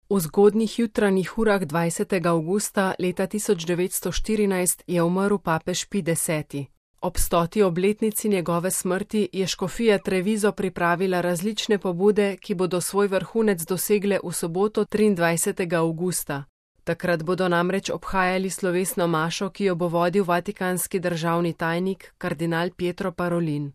V zgodnjih jutranjih urah 20. avgusta leta 1914 je umrl papež Pij X. Ob 100. obletnici njegove smrti je škofija Treviso pripravila različne pobude, ki bodo svoj vrhunec dosegle v soboto 23. avgusta. Takrat bodo namreč obhajali slovesno mašo, ki jo bo vodil vatikanski državni tajnik kardinal Pietro Parolin.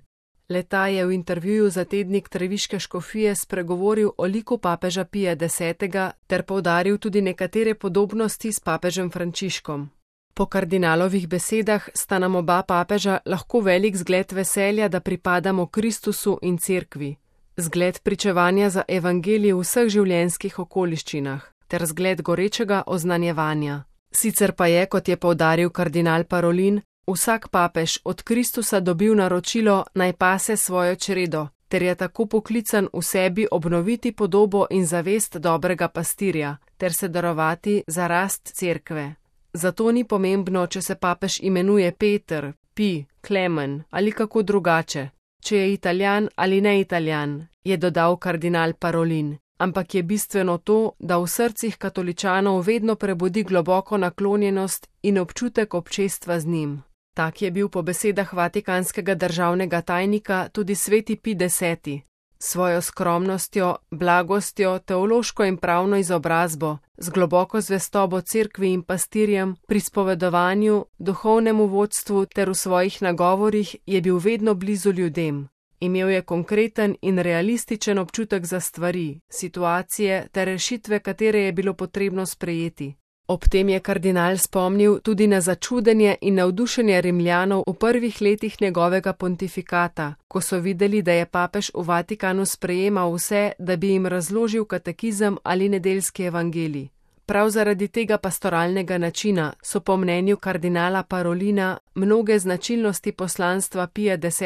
Le-ta je v intervjuju za tednik treviške škofije spregovoril o liku papeža Pija X ter poudaril tudi nekatere podobnosti s papežem Frančiškom. Po kardinalovih besedah sta nam oba papeža lahko velik zgled veselja, da pripadamo Kristusu in Cerkvi, zgled pričevanja za evangelij v vseh življenjskih okoliščinah ter zgled gorečega oznanjevanja. Sicer pa je, kot je poudaril kardinal Parolin, vsak papež od Kristusa dobil naročilo, naj pase svojo čredo, ter je tako poklican v sebi obnoviti podobo in zavest dobrega pastirja, ter se darovati za rast Cerkve. Zato ni pomembno, če se papež imenuje Peter, Pij, Klemen ali kako drugače, če je Italijan ali ne Italijan, je dodal kardinal Parolin, ampak je bistveno to, da v srcih katoličanov vedno prebudi globoko naklonjenost in občutek občestva z njim. Tak je bil po besedah vatikanskega državnega tajnika tudi sveti Pij X. Svojo skromnostjo, blagostjo, teološko in pravno izobrazbo, z globoko zvestobo Cerkvi in pastirjem, pri spovedovanju, duhovnemu vodstvu ter v svojih nagovorih je bil vedno blizu ljudem. Imel je konkreten in realističen občutek za stvari, situacije ter rešitve, katere je bilo potrebno sprejeti. Ob tem je kardinal spomnil tudi na začudenje in navdušenje Rimljanov v prvih letih njegovega pontifikata, ko so videli, da je papež v Vatikanu sprejemal vse, da bi jim razložil katekizem ali nedeljski evangelij. Prav zaradi tega pastoralnega načina so po mnenju kardinala Parolina mnoge značilnosti poslanstva Pija X.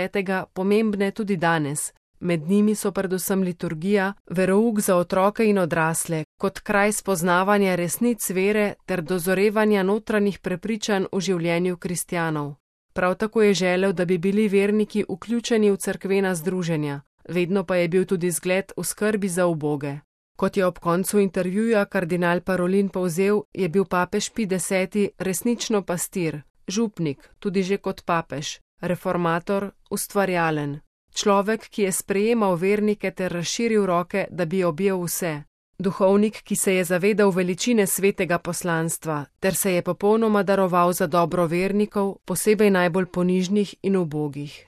pomembne tudi danes. Med njimi so predvsem liturgija, verouk za otroke in odrasle, kot kraj spoznavanja resnic vere ter dozorevanja notranjih prepričanj v življenju kristjanov. Prav tako je želel, da bi bili verniki vključeni v cerkvena združenja, vedno pa je bil tudi zgled v skrbi za uboge. Kot je ob koncu intervjuja kardinal Parolin povzel, je bil papež Pij X. resnično pastir, župnik, tudi že kot papež, reformator, ustvarjalen. Človek, ki je sprejemal vernike ter razširil roke, da bi objel vse. Duhovnik, ki se je zavedal veličine svetega poslanstva, ter se je popolnoma daroval za dobro vernikov, posebej najbolj ponižnih in ubogih.